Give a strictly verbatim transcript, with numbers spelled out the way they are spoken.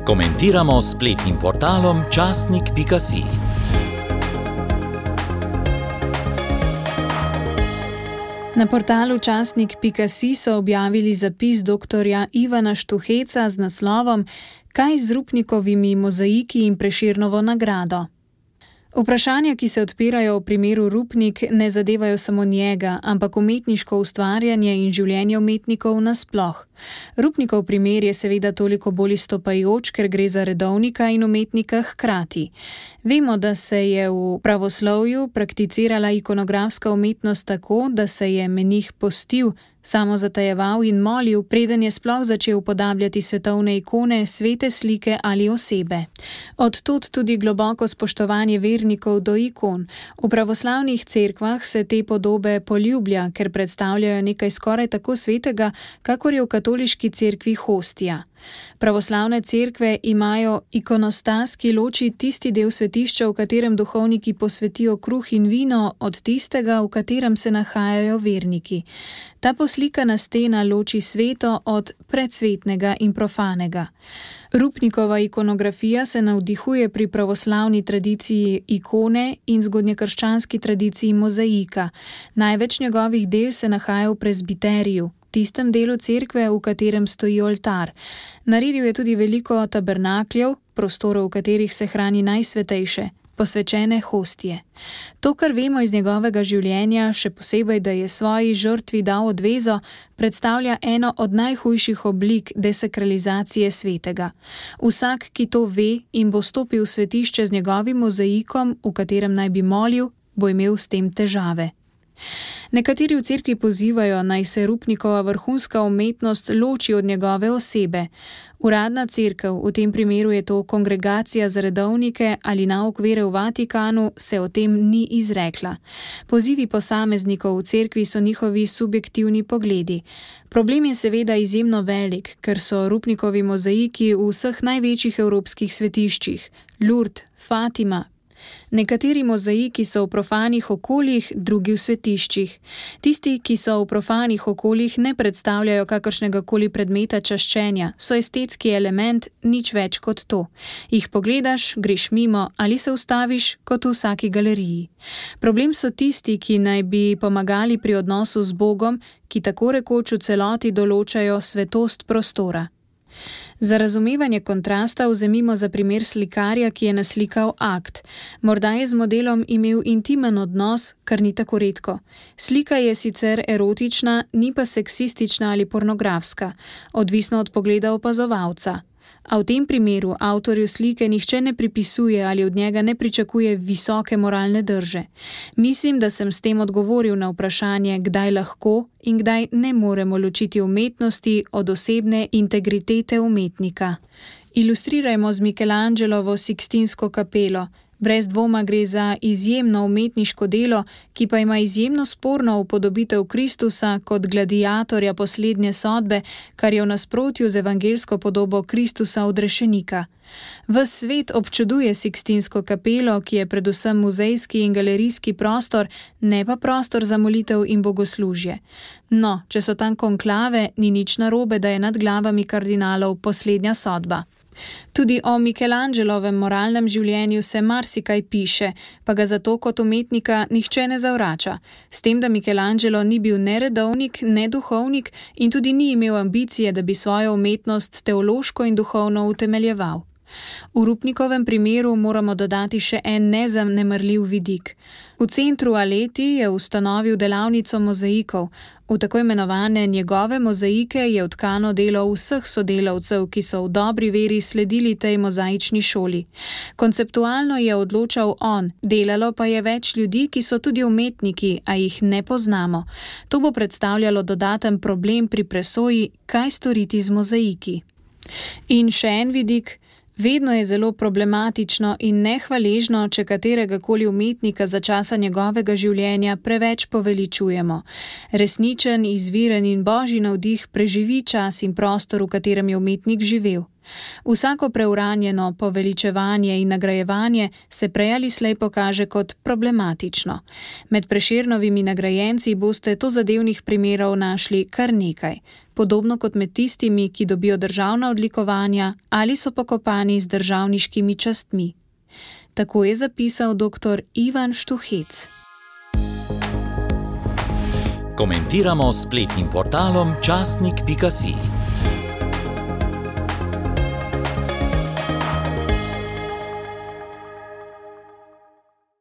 Komentiramo s spletnim portalom časnik pika si. Na portalu časnik pika si so objavili zapis doktorja Ivana Štuheca z naslovom Kaj z Rupnikovimi mozaiki in Prešernovo nagrado? Vprašanja, ki se odpirajo v primeru Rupnik, ne zadevajo samo njega, ampak umetniško ustvarjanje in življenje umetnikov nasploh. Rupnikov primer je seveda toliko bolj izstopajoč, ker gre za redovnika in umetnika hkrati. Vemo, da se je v pravoslovju prakticirala ikonografska umetnost tako, da se je menih postil, samozatajeval in molil, preden je sploh začel upodabljati svetovne ikone, svete slike ali osebe. Od tod tudi globoko spoštovanje vernikov do ikon. V pravoslavnih cerkvah se te podobe poljublja, ker predstavljajo nekaj skoraj tako svetega, kakor je v katoliški cerkvi hostija. Pravoslavne cerkve imajo ikonostas, ki loči tisti del svetišča, v katerem duhovniki posvetijo kruh in vino, od tistega, v katerem se nahajajo verniki. Ta poslikana stena loči sveto od predsvetnega in profanega. Rupnikova ikonografija se navdihuje pri pravoslavni tradiciji ikone in zgodnjekrščanski tradiciji mozaika. Največ njegovih del se nahaja v prezbiteriju, tistem delu cerkve, v katerem stoji oltar. Naredil je tudi veliko tabernakljev, prostorov, v katerih se hrani najsvetejše, posvečene hostije. To, kar vemo iz njegovega življenja, še posebej, da je svoji žrtvi dal odvezo, predstavlja eno od najhujših oblik desakralizacije svetega. Vsak, ki to ve in bo stopil v svetišče z njegovim mozaikom, v katerem naj bi molil, bo imel s tem težave. Nekateri v cerkvi pozivajo, naj se Rupnikova vrhunska umetnost loči od njegove osebe. Uradna cerkev, v tem primeru je to kongregacija za redovnike ali nauk vere v Vatikanu, se o tem ni izrekla. Pozivi posameznikov v cerkvi so njihovi subjektivni pogledi. Problem je seveda izjemno velik, ker so Rupnikovi mozaiki v vseh največjih evropskih svetiščih, Lourdes, Fatima. Nekateri mozaiki so v profanih okoljih, drugi v svetiščih. Tisti, ki so v profanih okoljih, ne predstavljajo kakršnega koli predmeta čaščenja, so estetski element, nič več kot to. Jih pogledaš, greš mimo ali se ustaviš kot v vsaki galeriji. Problem so tisti, ki naj bi pomagali pri odnosu z Bogom, ki tako rekoč v celoti določajo svetost prostora. Za razumevanje kontrasta vzemimo za primer slikarja, ki je naslikal akt. Morda je z modelom imel intimen odnos, kar ni tako redko. Slika je sicer erotična, ni pa seksistična ali pornografska, odvisno od pogleda opazovalca. A v tem primeru avtorju slike nihče ne pripisuje ali od njega ne pričakuje visoke moralne drže. Mislim, da sem s tem odgovoril na vprašanje, kdaj lahko in kdaj ne moremo ločiti umetnosti od osebne integritete umetnika. Ilustrirajmo z Michelangelovo Sikstinsko kapelo. Brez dvoma gre za izjemno umetniško delo, ki pa ima izjemno sporno upodobitev Kristusa kot gladiatorja poslednje sodbe, kar je v nasprotju z evangelsko podobo Kristusa odrešenika. Ves svet občuduje Sikstinsko kapelo, ki je predvsem muzejski in galerijski prostor, ne pa prostor za molitev in bogoslužje. No, če so tam konklave, ni nič narobe, da je nad glavami kardinalov poslednja sodba. Tudi o Michelangelovem moralnem življenju se marsikaj piše, pa ga zato kot umetnika nihče ne zavrača. S tem, da Michelangelo ni bil ne redovnik, ne duhovnik in tudi ni imel ambicije, da bi svojo umetnost teološko in duhovno utemeljeval. V Rupnikovem primeru moramo dodati še en nezanemarljiv vidik. V centru Aleti je ustanovil delavnico mozaikov. V tako imenovane njegove mozaike je vtkano delo vseh sodelavcev, ki so v dobri veri sledili tej mozaični šoli. Konceptualno je odločal on, delalo pa je več ljudi, ki so tudi umetniki, a jih ne poznamo. To bo predstavljalo dodaten problem pri presoji, kaj storiti z mozaiki. In še en vidik. Vedno je zelo problematično in nehvaležno, če katerega koli umetnika za časa njegovega življenja preveč poveličujemo. Resničen, izviren in božji navdih preživi čas in prostor, v katerem je umetnik živel. Vsako preuranjeno poveličevanje in nagrajevanje se prej ali slej pokaže kot problematično. Med Prešernovimi nagrajenci boste tozadevnih primerov našli kar nekaj, podobno kot med tistimi, ki dobijo državna odlikovanja ali so pokopani z državniškimi častmi. Tako je zapisal doktor Ivan Štuhec. Komentiramo s spletnim portalom časnik pika si.